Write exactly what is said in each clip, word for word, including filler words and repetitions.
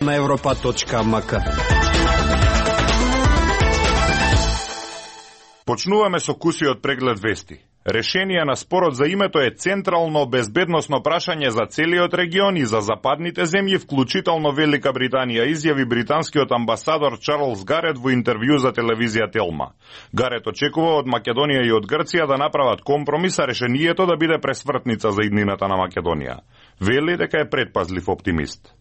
на европа точка м к. Почнуваме со кусиот преглед вести. Решение на спорот за името е централно безбедносно прашање за целиот регион и за западните земји, вклучително Велика Британија, изјави британскиот амбасадор Чарлс Гарет во интервју за телевизија Телма. Гарет очекува од Македонија и од Грција да направат компромис, а решението да биде пресвртница за иднината на Македонија. Вели дека е предпазлив оптимист.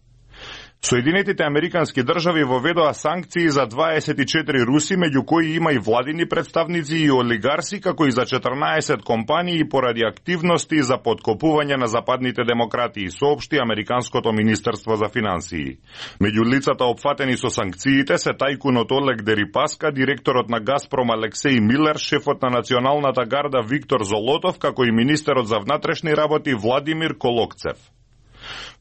Соединетите Американски држави воведоа санкции за дваесет и четири руси, меѓу кои има и владини представници и олигарси, како и за четрнаесет компании поради активности за подкопување на западните демократии, соопшти Американското министерство за финансии. Меѓу лицата опфатени со санкциите се тајкунот Олег Дерипаска, директорот на Газпром Алексеј Милер, шефот на Националната гарда Виктор Золотов, како и министерот за внатрешни работи Владимир Колокцев.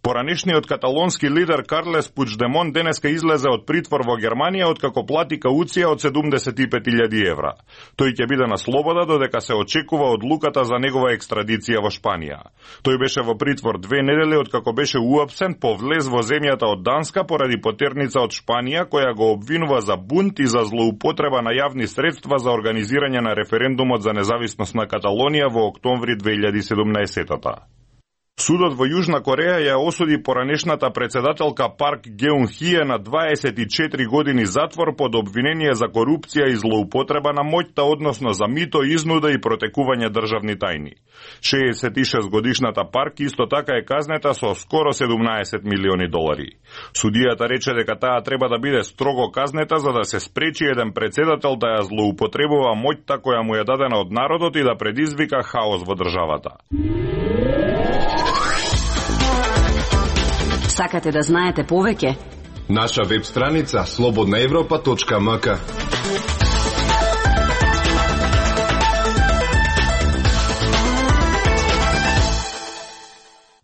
Поранешниот каталонски лидер Карлес Пучдемон денеска излезе од притвор во Германија откако плати кауција од седумдесет и пет илјади евра. Тој ќе биде на слобода додека се очекува одлуката за негова екстрадиција во Шпанија. Тој беше во притвор две недели откако беше уапсен по влез во земјата од Данска поради потерница од Шпанија која го обвинува за бунт и за злоупотреба на јавни средства за организирање на референдумот за независност на Каталонија во октомври две илјади и седумнаесета. Судот во Јужна Кореја ја осуди поранешната председателка Парк Геун Хие на дваесет и четири години затвор под обвинение за корупција и злоупотреба на моќта, односно за мито, изнуда и протекување државни тајни. шеесет и шест годишната Парк исто така е казнета со скоро седумнаесет милиони долари. Судијата рече дека таа треба да биде строго казнета за да се спречи еден председател да ја злоупотребува моќта која му е дадена од народот и да предизвика хаос во државата. Сакате да знаете повеќе? Наша веб страница слободна европа точка м к.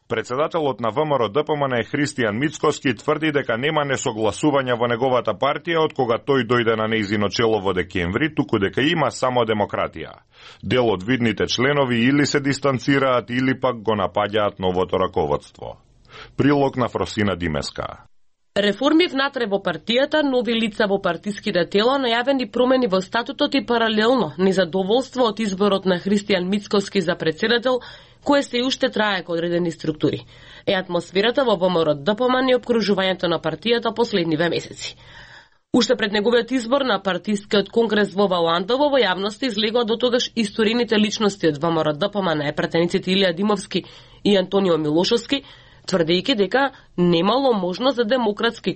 Председателот на Вэ М Р Д П М Н Христијан Мицкоски тврди дека нема несогласување во неговата партија од кога тој дојде на нејзино чело во декември, туку дека има само демократија. Дел од видните членови или се дистанцираат или пак го напаѓаат новото раководство. Прилог на Фросина Димеска. Реформи внатре во партијата, нови лица во партиските тела, најавени промени во статутот и паралелно незадоволство од изборот на Христијан Мицкоски за председател, кое се уште трае кон одредени структури. Е атмосферата во Вэ М Р Д П М Н и обкружувањето на партијата последниве месеци. Уште пред неговиот избор на партискиот конгрес во Валандово во јавноста излегоа до тогаш историните личности од Вэ М Р Д П М Н, пратениците Илија Димовски и Антонио Милошовски, тврдејќи дека немало можност за демократски